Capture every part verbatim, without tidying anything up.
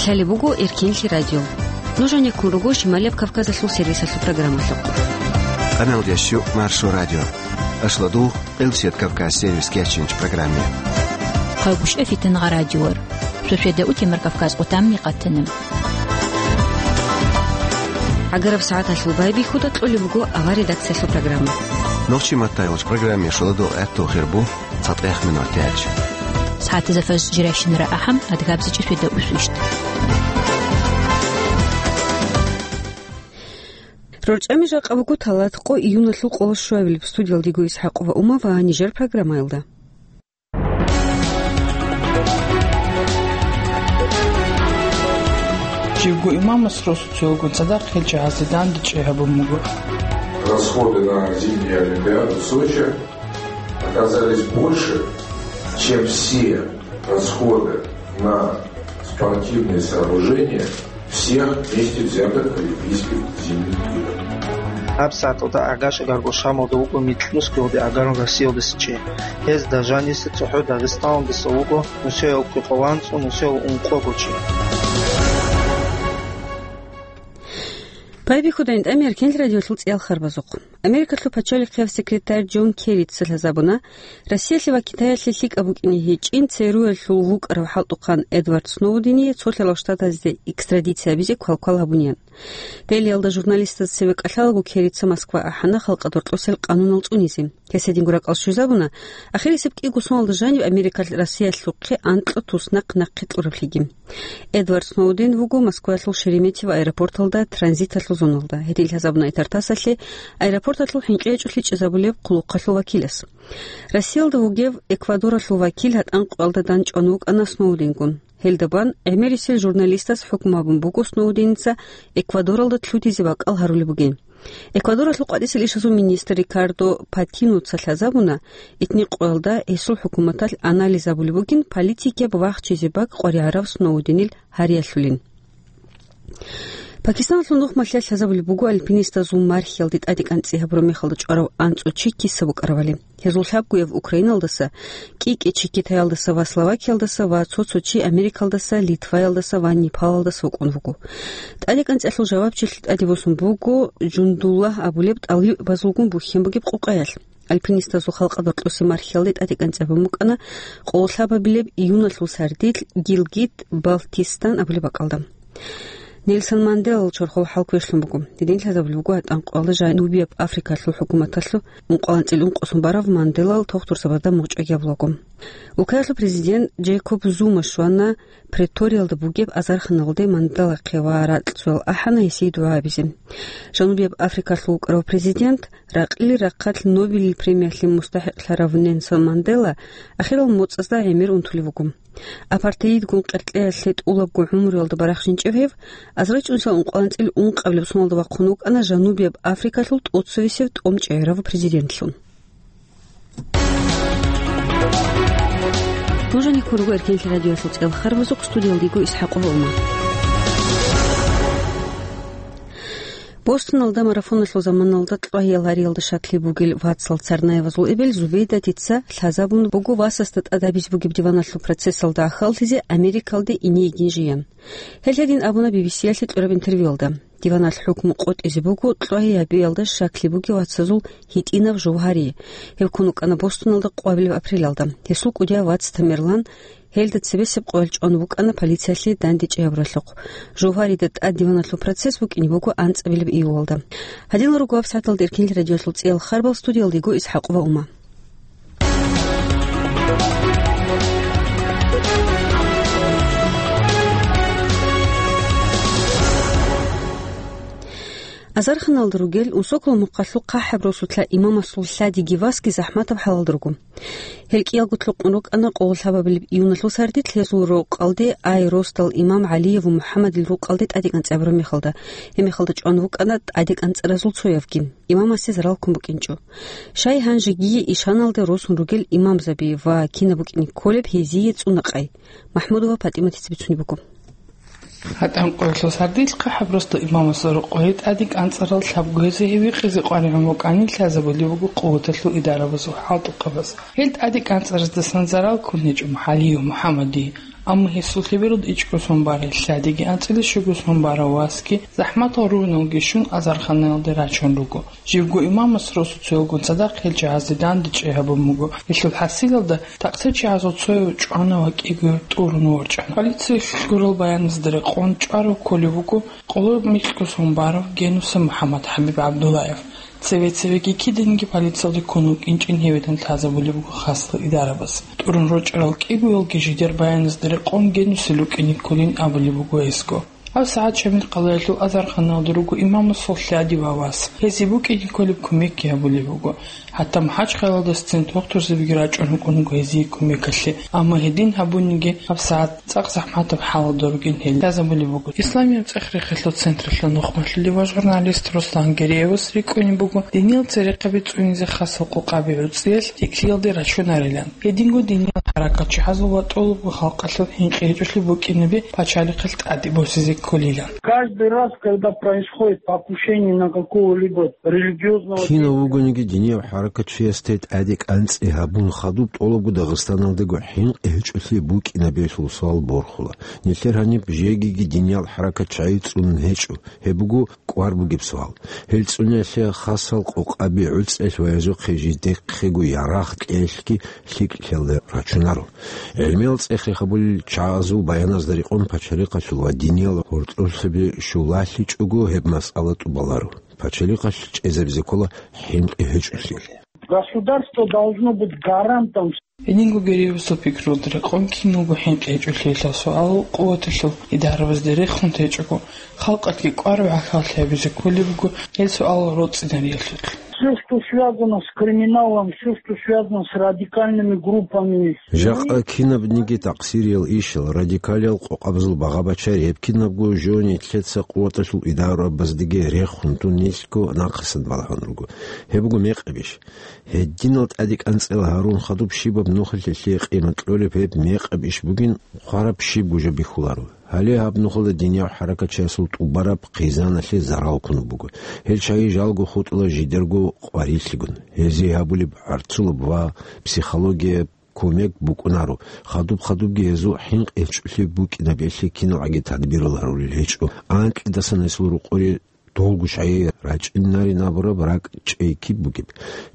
Лъалеб буго Эркенлъи радио. Нуж гьанеккун руго Шималияб Кавказалъул сервисалъул программалъухъ. Къаналдящу Маршо радио. Ашладугъ Къилсият Кавказ сервис кечинч программе. Хъайгъушъа фитангъа радиор. Шошеда утемар Кавказ къутамни къатана. ГӀагараб сагӀаталъул байбихьуда кьолеб буго авар редакциялъул программа. Нохчи маттайгъуч программе шуладугъ гӀатту хирбу. ЦатӀех минут тяч. СагӀатазда фаз жирайщинара ахӀам, адгабзичӀи феда усвищт. РорчӀами жакъа буго талат къо июналъул къоло щуабилеб. Студиялдего Исхьакъова Ума ва нижер программаялда. Живго имамас росуцоялгун цадахъ гьел чагӀазде дандечӀей гьабун буго. Расходы на зимнюю Олимпиаду в Сочи оказались больше, чем все расходы на спортивные сооружения всех вместе взятых Олимпийских зимних игр. ГьабсагӀаталда гӀагашагарго Шамалда вуго Микьнусгиялде гӀагарун Россиялдаса чи. Гьезда жаниса цохӀо Дагъистаналдаса вуго нусиялъухъе къоло анцӀго, нусиялъ ункъого чи. Байбихьуда гӀинтӀами Эркенлъи радиолъул цӀиялхарбазухъ. Америкалъул пачалихъияб секретарь Джон Керрица лъазабуна, Россиялъе ва Китаялъе лъикӀаб букӀине гьечӀин ЦРУ-ялъул вукӀарав хӀалтӀухъан Эдвард Сноудение цо лъалал штатазде экстрадиция гьабизе квалквал гьабуниян. Делиялда журналистаз цеве кӀалъалаго Керрица Москва ахӀана халкъа доркьосел къанунал цӀунизе. Гьес гьединго ракӀал щвезабуна, ахирисеб кӀиго соналда жанив Америкалъ Россиялъухъе анкьго туснахъ нахъе кьураблъиги. Эдвард Сноуден вуго Москваялъул Шереметьево аэропорталда транзиталъул зоналда. Гьедин лъазабуна ИТАР-ТАССалъе аэропорталъул хӀинкъи гьечӀолъи чӀезабулеб хъулухъалъул вакилас. Россиялда вугев Эквадоралъул вакил гьатӀан къоялда данчӀван вукӀана Сноуденгун. Гьелда бан гӀемерисел журналистас хӀукму гьабун буго Сноуденица Эквадоралда лъутизе бакӀал гьарулеб бугин. Эквадоралъул къватӀисел ишазул министр Рикардо Патиноца лъазабуна, итни къоялда гьесул хӀукуматалъ анализ гьабулеб бугин политикияб вахчизе бакӀ къваригӀарав Сноуденил гьариялъулин. Пакистаналъул нухмалъиялъ лъазабулеб буго альпинистазул мархьиялде тӀадекӀанцӀи гьабураб мехалда чӀварав анцӀго чи киса букӀарабали. Гьезул лъабгояб Украиналдаса, кӀи-кӀи чи Китаялдаса ва Словакиялдаса ва цо-цо чи Америкалдаса, Литваялдаса ва Непалалдаса вукӀун вуго. ТӀадекӀанцӀиялъул жавабчилъи тӀаде босун буго Жундуллагь абулеб тӀалибазулгун бухьен бугеб къукъаялъ. Альпинистазул халкъа доркьосе мархьиялде тӀадекӀанцӀи гьабун букӀана къоло лъабабилеб июналъул сардилъ Гилгит-Балтистан абулеб бакӀалда. Нельсон Манделал чорхол хӀал квешлъун буго. Гьедин лъазабулеб буго гьатӀан къоялда Жанубияб Африкалъул хӀукуматалъул ункъоялда анцӀила ункъосун барав Манделал тохтурзабазда мугъчӀвагьабулаго. Укаялъул президент Джейкоб Зума щвана Преториялда бугеб азарханалде Манделахъе ва ракьцоял ахӀана гьесие дугӀа гьабизе. Жанубияб Африкалъул вукӀарав президент, ракьили рахъалъ Нобелил премиялъе мустахӀикълъарав Нельсон Мандела ахирал моцӀазда гӀемер унтулев вуго. Апартеидгун къеркьеялъе тӀулабго гӀумруялда барахщинчӀев гьев, азарилчӀунсал ункъоялда анцӀила ункъабилеб соналда вахъун вукӀана Жанубияб Африкалъул тӀоцевесев тӀомчӀегӀерав президентлъун. Нуж гьанеккун руго Эркенлъи радиоялъул цӀиялхарбазухъ, студиялда йиго Исхьакъова Ума. Бостоналда марафоналъул заманалда кьвагьиял гьариялда щаклъи бугел вацал Царнаевазул эбел Зубейдатица лъазабун буго васасда тӀад гьабизе бугеб диваналъул процессалда гӀахьаллъизе Америкалде ине йигин жеян. Гьел гьедин абуна Би Би Си-ялъе кьураб интервьюялда. Диваналъ хӀукму къотӀизе буго кьвагьиябиялда щаклъи бугев вацазул гьитӀинав жов гьари. Гьев ккун вукӀана Бостоналда къвабилеб апрелалда. Гьесул кӀудияв вац Тамерлан гьелда цебесеб къоялъ чӀван вукӀана полициялъе дандечӀей гьабуралъухъ. Жов гьарида тӀад диваналъул процесс букӀине буго анцӀабилеб июлалда. Гьадинал руго гьабсагӀаталда Эркенлъи радиоялъул цӀиялхарбал, студиялда йиго Исхьакъова Ума. Азарханалда ругел Унсоколо мухъалъул ХъахӀаб росулъа имамасул лъадиги васги захӀматаб хӀалалда руго. Гьел кӀиялго лъукъун рукӀана къоло лъабабилеб июналъул сардилъ гьезул рокъалде Ай росдал имам ГӀалиев МухӀаммадил рукъалде тӀадекӀанцӀи гьабураб мехалда. Гьеб мехалда чӀван вукӀана тӀадекӀанцӀаразул цоявги. Имамасе зарал ккун букӀинчӀо. Щай гьанже гие ишаналде росун ругел имамзаби ва кинаб букӀине кколеб гьезие цӀуна къай? МахӀмудова ПатӀиматица бицунеб буго. ГьатӀан къоялъул сардилъ ХъахӀаб росдал имамасул рокъое тӀадекӀанцӀарал лъабго гьезие гьев гьикъизе къваригӀун вукӀанин лъазабулеб буго къуваталъул идарабазул хӀалтӀухъабаз. Гьел тӀадекӀанцӀараздасан зарал ккун гьечӀо ГӀалиев МухӀаммадие. Амма гьесул лъебералда ичӀго сон барай лъадиги анцӀила щуго сон барав васги, захӀматал ругьуналги щун, азарханаялде рачун руго. Живго имамас росуцоялгун цадахъ гьел чагӀазде дандечӀей гьабун буго. Гьелъул хӀасилалда такъсачагӀазул цояв чӀвана ва кӀигояв тӀурун ворчӀана. Полициялъ гурал баяназда рекъон чӀварав кколев вуго къоло микьго сон барав Генуса МухӀаммад ХӀабиб ГӀабдуллаев. Цеве-цевеги киданиги полициялде ккун вукӀинчӀин гьевилан лъазабулеб буго хасал идарабаз. ТӀурун рорчӀарал кӀигоялги жидер баяназда рекъон Генусил рукӀине кколин абулеб буго гьесго. ГьабсагӀат Шамил къалаялъул азарханалда руго имамасул лъади ва вас. Гьезие букӀине кколеб кумекги гьабулеб буго. ГьатӀа МахӀачхъалаялдасацин дохтурзабиги рачӀун рукӀун руго гьезие кумекалъе, амма гьедин гьабуниги гьабсагӀат цӀакъ захӀматаб хӀалалда ругин гьел лъазабулеб буго. Исламияб цӀех-рехъалъул централъул нухмалъулев ва журналист Руслан Гереевас рикӀкӀунеб буго диниял церехъаби цӀунизе хасал къокъаби гӀуцӀиялъ лъикӀлъиялде рачунарилан. Гьединго диниял хӀаракатчиясул ва тӀолабго халкъалъул хӀинкъи гьечӀолъи букӀинаби пачалихъалъ тӀаде босизе кколилан. Каждый раз, когда происходит покушение на какого-либо религиозного деятеля, Кинав вугониги динияв хӀаракатчиясде тӀаде кӀанцӀи гьабун хадуб тӀолабго Дагъистаналдаго хӀинкъи гьечӀолъи букӀинабиялъул суал борхула. Нилъер гьаниб жегиги диниял хӀаракатчагӀи цӀунун гьечӀо, гьеб буго кӀвар бугеб суал. Гьел цӀуниялъе хасал къокъаби гӀуцӀиялъ ва гьезухъе жидехъего ярагъ кьеялъги лъикӀлъиялде рачунаро. ГӀелмиял цӀех-рех гьабулел чагӀазул баяназда рекъон пачалихъалъул ва диниял гьоркьорлъаби щулалъичӀого гьеб масъала тӀубаларо. Пачалихъалъ чӀезабизе ккола хӀинкъи гьечӀолъи. Государство должно быть гарантом. Гьединго Гереевасул пикруялда рекъон киналго хӀинкъи гьечӀолъиялъул суал къуваталъул идарабазде рехун течӀого, халкъалъги кӀвараб гӀахьаллъи гьабизе кколеб буго гьел суал роцӀцӀинариялъулъ. Всё, что связано с криминалом, всё, что связано с радикальными группами. Жакъа кинабниги такъсириял ишал, радикалиял къокъабазул багъа-бачари гьеб кинабго жо нилъеца къуваталъул идарабаздеги рехун тун нилъго нахъасан балагьун руго. Гьеб буго мекъабищ. Гьединал тӀаде кӀанцӀила гьарун хадуб щибаб нухалъе лъие къимат кьолеб гьеб мекъабищ бугин хъвараб щибго жо бихьуларо. Гьале гьаб нухалда динияв хӀаракатчиясул тӀубараб хъизаналъе зарал ккун буго. Гьел чагӀи жалго хутӀула жидерго къварилъигун. Гьезие гьабулеб гӀарцулаб ва психологияб кумек букӀунаро, хадуб-хадубги гьезул хӀинкъи гьечӀолъи букӀинабиялъе киналгӀаги тадбирал гьарулел гьечӀо. Анкьидасан гьесул рукъуре долго чагӀи рачӀинарин абураб ракӀ чӀей киб бугеб?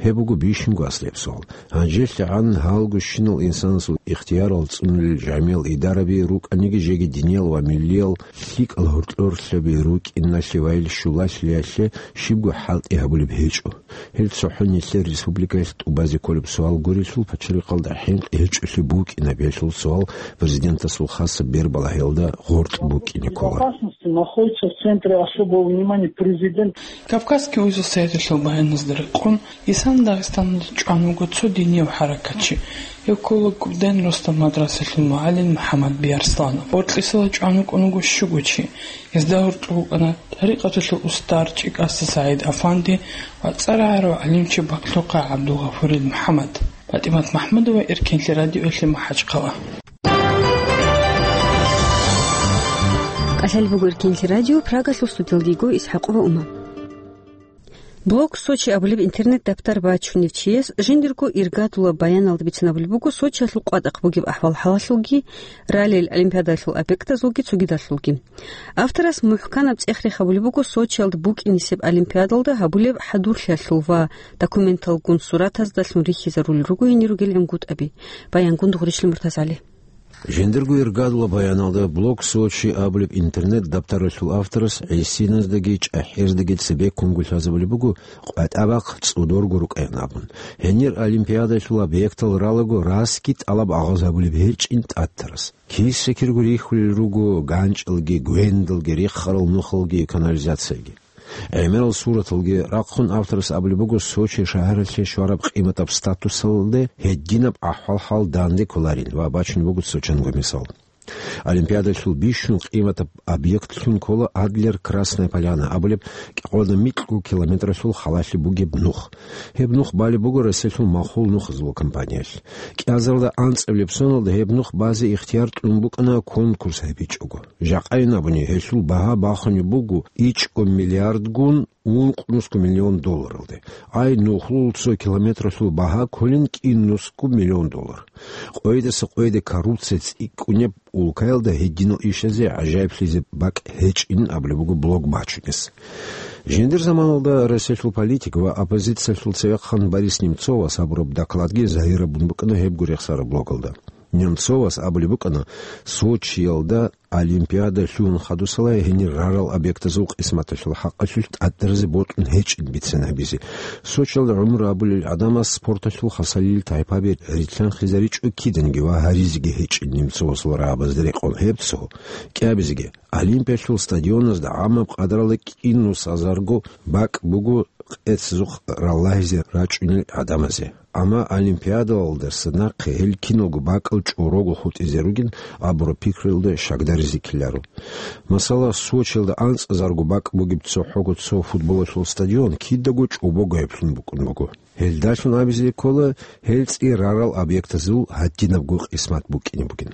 Гьеб буго бищунго аслияб суал. ГьанжелъагӀан гьалго щинал инсанасул ихтиярал цӀунулел жамиял идараби рукӀаниги, жеги диниял ва миллиял лъикӀал гьоркьорлъаби рукӀиналъе ва ил щулалъиялъе щибго хӀалтӀи гьабулеб гьечӀо. Гьел цохӀо нилъер республикаялъ тӀубазе кколеб суал гурелъул, пачалихъалда хӀинкъи гьечӀолъи букӀинабиялъул суал президентасул хасаб бербалагьиялда гъоркь букӀине ккола. Безопасности находится в центре особого внимания президент. Кавказский узел сайталъул баяназда рекъон, Исан Дагъистаналда чӀван вуго цо динияв хӀаракатчи, гьев ккола Губден росдал мадрасалъул мугӀалим МухӀаммад Биарсланов. Гъоркьисала чӀван вукӀун вуго щуго чи. Гьезда гьоркьов вукӀана тӀарикъаталъул устар ЧӀикӀаса СагӀид-афанди ва цӀар гӀарав гӀалимчи Бакълъухъа ГӀабдулгъафурил МухӀаммад. ПатӀимат МахӀмудова, Эркенлъи радиоялъе, МахӀачхъала. КӀалъалеб буго Эркенлъи радио, Прагалъул студиялда йиго ИсхӀакъова Ума. Блог Сочи абулеб интернет-даптар бачунев чияс жиндирго иргадулаб баяналда бицинабулеб буго Сочиялъул къватӀахъ бугеб ахӀвал-хӀалалъулги, раллил олимпиадалъул объектазулги цогидалъулги. Авторас мухӀканаб цӀех-рех гьабулеб буго Сочиялда букӀинисеб олимпиадалда гьабулеб хӀадурлъиялъул ва документалгун суратаздалъун рихьизарулел руго гьенир ругел гӀунгутӀаби. Баянгун Дугъришлъи МуртазгӀали. Жиндирго иргадулаб баяналда Блог Сочи абулеб интернет-даптаралъул авторас гӀисиназдаги чӀахӀияздаги цебеккунго лъазабулеб буго къватӀабахъ цӀодорго рукӀаян абун. Гьенир олимпиадалъул объектал ралаго расги тӀалаб агъаз гьабулеб гьечӀин тӀатарас. Киса-кирго рихьулел руго ганчӀалги, гвендалги, рехарал нухалги, канализациялги. ГӀемерал сураталги рахъун авторас абулеб буго Сочи шагьаралъе щвараб къиматаб статусалде гьединаб ахӀвал-хӀал данде кколарин ва бачун буго цо чанго мисал. Олимпиадалъул бищун къиматаб объектлъун ккола Адлер Красная Поляна абулеб кӀикъоялда микьго километралъул халалъе бугеб нух. Гьеб нух балеб буго Россиялъул махул нухазул компаниялъ. КӀиазарда анцӀабилеб соналда гьеб нух базе ихтияр кьун букӀана конкурс гьабичӀого. Жакъайин абуни, гьелъул багьа бахунеб буго ичӀго миллиардгун ункънусго миллион долларалде. Ай нухлул цо километралъул багьа кколин кӀиннусго миллион доллар. Къойдаса къойде коррупция цӀикӀкӀунеб улкаялда гьединал ишазе гӀажаиблъизе бакӀ гьечӀин абулеб буго блог бачунес. Жиндир заманалда Россиялъул политик ва оппозициялъул цевехъан Борис Немцовас гьабураб докладги загьирабун букӀана гьебго рехсараб блогалда. Немцовас абулеб букӀана, Сочиялда Олимпиада лъугьун хадусалай гьенир рарал объектазул къисматалъул хӀакъалъулъ тӀадразе бокьун гьечӀин бицен гьабизе. Сочиялда гӀумру абулел гӀадамас спорталъул хасалил тайпаби рилълъанхъизаричӀо киданги ва гьаризеги гьечӀин Немцовасул рагӀабазда рекъон гьеб цо кӀиабизеги. Олимпиялъул стадионазда гӀамаб къадаралда кӀинусазарго бакӀ буго къецазухъ раллагьизе рачӀунел гӀадамазе. Амма Олимпиадалдаса нахъе гьел киналго бакӀал чӀорого хутӀизе ругин абураб пикруялда щакдаризе ккеларо. Масала, Сочиялда анцӀазарго бакӀ бугеб цохӀого цо футболалъул стадион кидаго чӀобогояблъун букӀун буго. Гьелдалъун абизе ккола, гьел цӀи рарал объектазул гьадинабго къисмат букӀине бугин.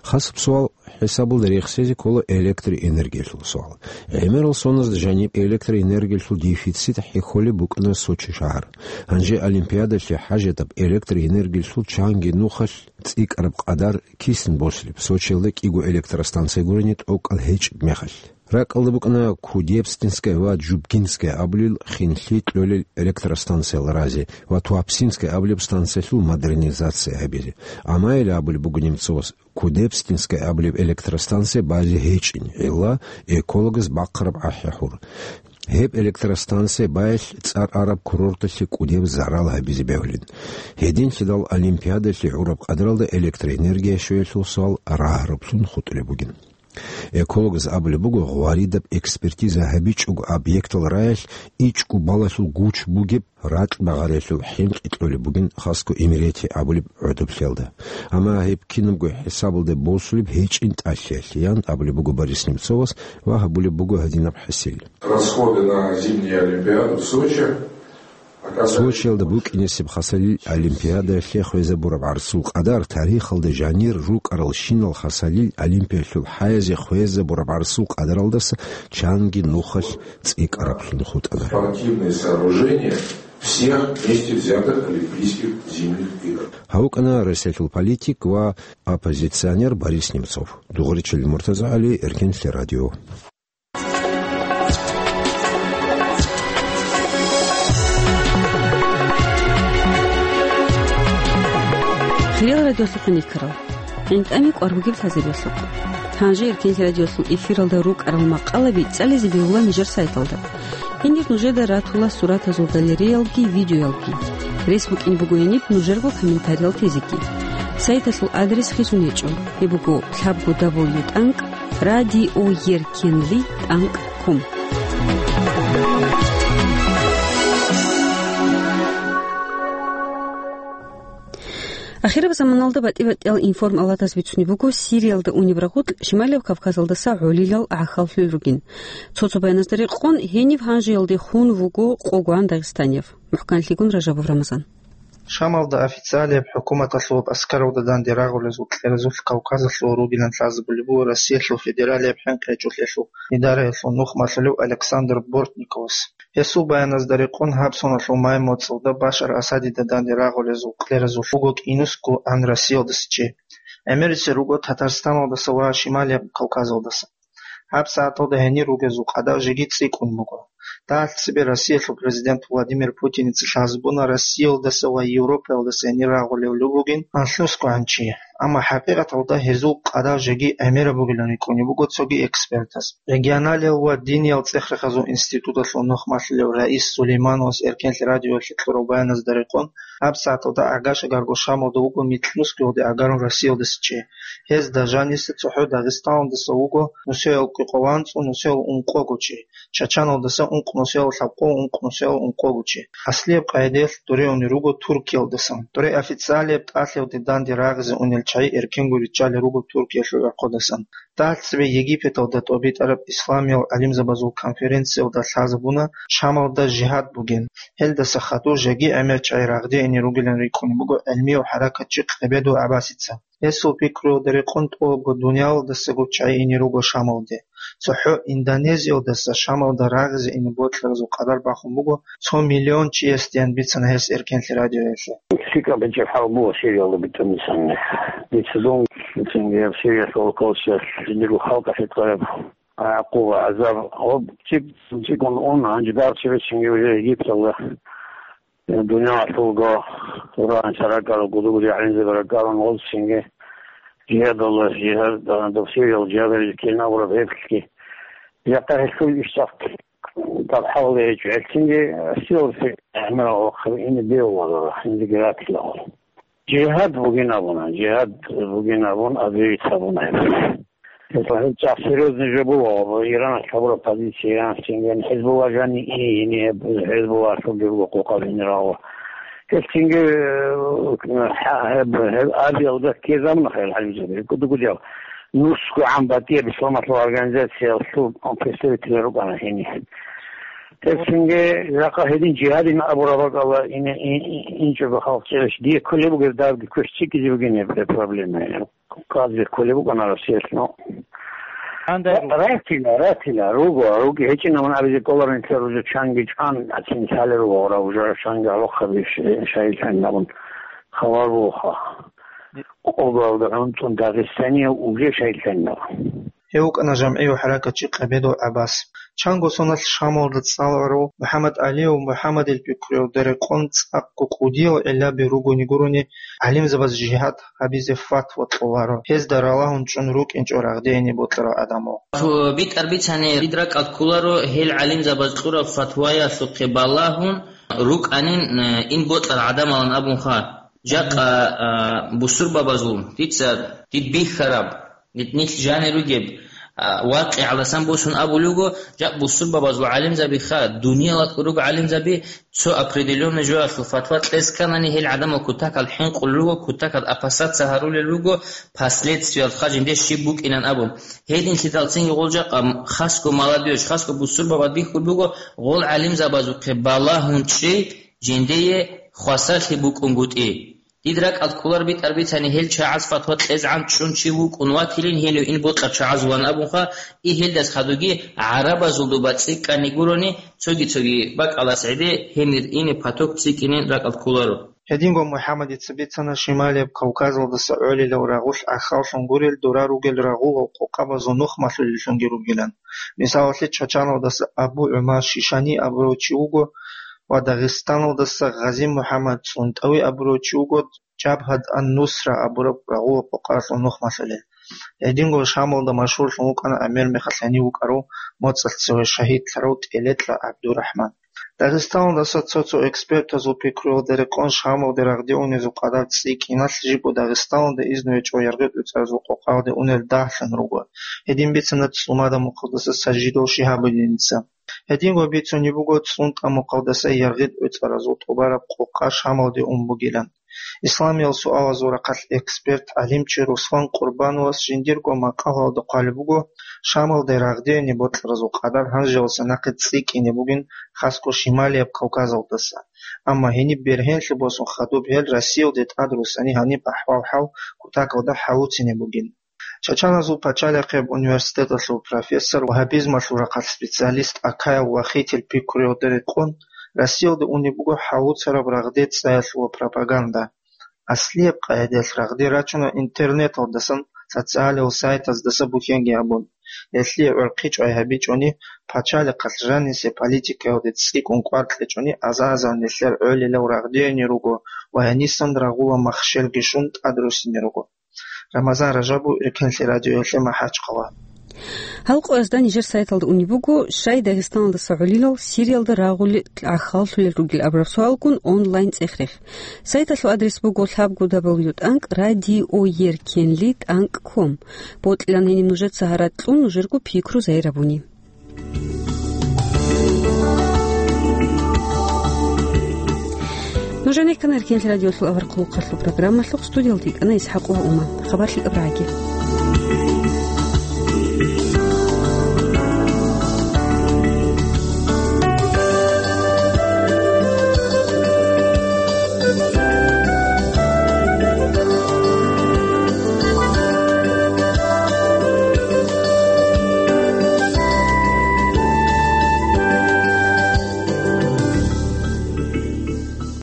Хасаб суал хӀисабалда рехсезе ккола электроэнергиялъул суал. ГӀемерал соназда жаниб электроэнергиялъул дефицит хӀехьолеб букӀана Сочи шагьар. Гьанже Олимпиадалъе хӀажатаб электроэнергиялъул чанги нухалъ цӀикӀкӀараб къадар кисин босулеб, Сочиялда кӀиго электростанция гурони тӀокӀал гьечӀеб мехалъ. РакӀалда букӀана Кудебстинская ва Джубгинская абулел хинлъи кьолел электростанциял разе ва Туапсинская абулеб станциялъул модернизация гьабизе. Амма гьел абулеб буго Немцовас, Кудебстинская абулеб электростанция байзе гьечӀин, гӀилла экологаз бахъараб ахӀи-хӀур. Гьеб электростанция байялъ цӀар араб курорталъе кӀудеб зарал гьабизе бегьулин. Гьединлъидал Олимпиадалъе гӀураб къадаралда электроэнергия щвеялъул суал рагьараблъун хутӀулеб бугин. Экологаз абулеб буго, гъваридаб экспертиза гьабичӀого объектал раялъ ичӀго балалъул гуч бугеб ракь багъариялъул хӀинкъи кьолеб бугин Хаско Имерети абулеб гӀодоблъиялда. Амма гьеб кинабго хӀисабалда босулеб гьечӀин тӀалъиялъе, ян абулеб буго Борис Немцовас ва гьабулеб буго гьадинаб хӀисил. Расходы на зимнюю Олимпиаду в Сочи Сочиялда букӀинесеб хасалил Олимпиадаялъе хвезабураб гӀарсул къадар тарихалда жанир рукӀаралщинал хасалил Олимпиялъул хӀаязе хвезабураб гӀарсул къадаралдаса чанги нухалъ цӀикӀкӀараблъун хутӀана. Спортивные сооружения всех вместе взятых Олимпийских зимних игр. Гьав вукӀана Россиялъул политик ва оппозиционер Борис Немцов. Дугъричил МуртазагӀали, Эркенлъи радио. Хириял радиолъухъ никарал, гӀинтӀами кӀвар бугеб лъазабиялъухъ. Гьанже Эркенлъи радиолъул эфиралда рукӀарал макъалаби цӀализе бегьула нижер сайталда. Гьенир нужеда ратула суратазул галереялги видеоялги. Рес букӀине буго гьениб нужерго комментариял тезеги. Сайталъул адрес хисун гьечӀо. Гьеб буго лъабго дабл ю тӀанкӀ радиоеркенлъи тӀанкӀ ком. Ахираб заманалда батӀи-батӀиял информалатаз бицунеб буго Сириялда унеб рагъулъ Шималияб Кавказалдаса гӀолилал гӀахьаллъуй ругин. Цо-цо баяназда рекъон, гьениб гьанжеялде хун вуго къогоан дагъистанияв. МухӀканлъигун Ражабов Рамазан. Шамалда официалияб хӀукуматалъул аскаралда данде рагъулезул кьеразулъ Кавказалъув ругилан лъазабулеб буго Россиялъул федералияб хӀинкъи гьечӀолъиялъул идараялъул нухмалъулев Александр Бортниковас. Гьесул баяназда рекъон, гьаб соналъул май моцӀалда Башар Асадида данде рагъулезул кьеразулъ вуго кӀинусго ан Россиялдаса чи. ГӀемерисел руго Татарстаналдаса ва Шималияб Кавказалдаса. ГьабсагӀаталда гьенир ругезул къадагь жеги цӀикӀкӀун буго. Дагьалъ цебе Россиялъул президент Владимир Путиница лъазабуна Россиялдаса ва Европаялдаса гьенир рагъулев бугин анлънусго гӀан чи. Амма хӀакъикъаталда гьезул къадагь жеги гӀемераб бугилан рикӀкӀунеб буго цоги экспертаз. Регионалиял ва диниял цӀех-рехазул институталъул нухмалъулев Раис Сулеймановас Эркенлъи радиоялъе кьураб баяназда рекъон, гьабсагӀаталда гӀага-шагарго Шамалда вуго микьнусгоялде гӀагарун Россиялдаса чи. Гьезда жаниса цохӀо Дагъистаналдаса вуго нусиялъул кӀикъоялда анцӀго нусиялъул ункъого чи, Чачаналдаса ункъ нусиялъул лъабкъого ункъ нусиялъул ункъого чи. Аслияб къагӀидаялъ дуре унел руго Туркиялдасан. Дуре официалияб тӀалъиялде данде рагъизе унел чагӀи эркенго риччалел руго Туркиялъул гӀорхъудасан. Дагьалъ цебе Египеталда тӀобитӀараб исламиял гӀалимзабазул конференциялда лъазабуна Шамалда жигьад бугин. Гьелдаса хадур жеги гӀемер чагӀи рагъде ине ругилан рикӀкӀунеб буго гӀелмияв хӀаракатчи Къебедов ГӀаббасица. Гьесул пикруялда рекъон, тӀолабго дуниялалдасаго чагӀи ине руго Шамалде. цохӀо Индонезиялдаса Шамалда рагъизе ине бокьаразул къадар бахун буго цо миллион чиясдиян бицана гьес Эркенлъи радиоялъе. ЛъикӀаб гьечӀеб хӀал буго Сириялда битӀун бицани. Дица дун цинги гьаб Сириялъул калчалъ жиндирго халкъалъе кьараб гӀакъуба, гӀазаб, гьоб чӀикӀ-, чӀикӀун ун, гьанже дагьаб чебецинги уже Египеталда, э, дуниялалъулго Къуръан ракӀарал гудугуди гӀалимзаби ракӀарун гъозцинги жигьадалла, жигьад, а, дов Сириялда жигьадализе ккелин абураб гьебги. Жакъа гьелъул иш цӀакъ тӀад хӀалале гьечӀо. Гьелъинги Сириялда гӀемерал вахъаби ине бегьуларара, гьанжеги ратила. Жигьад бугин абуна, жигьад бугин абун, объявить гьабуна гьеб. Гьеб цӀакъ серьёзный жо буго, Иран гьабураб позиция, Иран синген ХӀизбулла жани ини, ини гьеб ХӀизбулла лъугьа дирго къокъаб гьенирал. Гьеб цинги, э, хӀа-, гьеб, гьеб абиялда ккезабуна хӀел гӀалимзаби, гьеб кӀуди-кӀудиял. НусгогӀан батӀияб исламалъул организациялъул представитель рукӀана гьенир. Гьеб цинги жакъа гьедин жигьадин абураб бакӀалда ин-, ин-, ин-, инчӀого халкъ чӀезаб. Дие кколеб бугеб дагьабги квеш цӀикӀкӀизе бугин гьеб проблема. Кавказде кколеб букӀана Россиялъ, ну. Гьанже ра-, ратила, ратила, руго, руги гьечӀин, амма абизе кӀоларин, нилъер рузу чанги чӀан, ацин лъалел руго, гъора уже чанги гьалохъаби ш-, шагьидлъанин абун хабар бугоха. Къоялда гӀунтӀун Дагъистанияв уже шагьидлъанин абун. Гьев вукӀана жамгӀияв хӀаракатчи Къабедов ГӀаббас. Чанго соналъ Шамалда цӀаларав МухӀаммад ГӀалияв МухӀаммадил пикруялда рекъон цӀакъго кӀудиял гӀиллаби ругони гурони, гӀалимзабаз жигьад гьабизе фатва кьоларо, гьезда ралагьун чӀун рукӀинчӀо рагъдеяне бокьарал гӀадамал. БитӀар бицани, дид ракӀалд кколаро гьел гӀалимзабаз кьураб фатваялъухъе балагьун рукӀанин, э, ин бокьарал гӀадамалан абунха. Жакъа, а, бусурбабазул дица дид бихьараб, нилъ жанир ругеб, а, вакъигӀалдасан босун абулев вуго, жакъ бусурбабазул гӀалимзабиха, дуниялалъул руго гӀалимзаби, цо определённый жоялъул фатва кьезе кканани, гьел гӀадамал кутакал хӀинкъулел руго, кутакал опасаться гьарулел руго, последствиялха жинде щиб букӀинан абун. Гьединлъидалцинги гъол жакъа хасго молодёжь, хасго бусурбабаз бихьулеб буго, гъол гӀалимзабазухъе балагьун чӀей жиндие хвасарлъи букӀунгутӀи. Дид ракӀалд кколар битӀар бицани, гьел чагӀаз фатва кьезегӀан чӀун чи вукӀун ватилин, гьелев ин бокьарал чагӀазулан абунха, и гьелдас хадуги гӀарабазул доба цӀикӀкӀани гурони, цоги-цоги бакӀалас гӀеде гьенир ине поток цӀикӀкӀинин ракӀалд кколаро. Гьединго МухӀаммадица бицана Шималияб Кавказалдаса гӀолилал рагъулъ гӀахьаллъун гурел дора ругел рагъулал къокъабазул нухмалъулеллъунги ругилан. Мисалалъе, Чачаналдаса Абу ГӀумар Шишани абурав чи вуго ва Дагъистаналдаса Гъази МухӀаммад ЦӀунтӀави абурав чи вуго Жабгьат ан-Нусра абураб рагъулаб къокъаялъул нухмалъулел. Гьединго Шамалда машгьурлъун вукӀана гӀемер мехалъ гьенив вукӀарав моцӀалъ цеве шагьидлъарав ТӀелекьа ГӀабдурахӀман. Дагъистаналдаса цо-цо экспертазул пикруялда рекъон Шамалде рагъде унезул къадар цӀикӀкӀиналъ жибго Дагъистаналда изну гьечӀо Яргъит ГӀуцӀаразул къокъаялде унел дагьлъун руго. Гьедин бицана ЦӀумада мухъалдаса Сажидов Шигьабуддиница. Гьединго бицунеб буго ЦӀунтӀа мухъалдаса Яргъит ГӀуцӀаразул тӀубараб къокъа Шамалде ун бугилан. Исламиял суалазул рахъалъ эксперт, гӀалимчи Руслан Къурбановас жиндирго макъалаялда хъвалеб буго, Шамалде рагъдеяне бокьаразул къадар гьанжеялдаса нахъе цӀикӀкӀине бугин, хасго Шималияб Кавказалдаса. Амма гьениб бергьенлъи босун хадуб гьел Россиялде тӀадруссани гьаниб ахӀвал-хӀал кутакалда хӀалуцине бугин. Чачаназул пачалихъияб университеталъул профессор, вагьабизмалъул рахъалъ специалист Акаяв Вахитил пикруялда рекъон, Россиялде унеб буго хӀалуцараб рагъде цӀаялъул ва пропаганда. Аслияб къагӀидаялъ рагъде рачуна интернеталдасан, социалил сайтаздаса бухьенги гьабун. Гьелъие гӀурхъи чӀвай гьабичӀони, пачалихъалъ жанисе политикаялде цӀикӀкӀун кӀвар кьечӀони, аза-азар нилъер гӀолилал рагъдеяне руго ва гьенисан рагъула махщелги щун тӀадруссине руго. Рамазан Ражабов, Эркенлъи радиоялъе, МахӀачхъала. Гьал къоязда нижер сайталда унеб буго, щай Дагъистаналдаса гӀолилал Сириялда рагъулел гӀахьаллъулел ругел абураб суалгун онлайн цӀех-рех. Сайталъул адрес буго лъабго дабл ю тӀанкӀ радиоеркенли тӀанкӀ ком. Бокьилан гьениб нужеца гьаракь кьун нужерго пикру загьир гьабуни. Нуж гӀенеккана Эркенлъи радиолъул авар хъулухъалъул программалъухъ, студиялда йикӀана ИсхӀакъ ва Уман. Хабар лъикӀаб рагӀаги.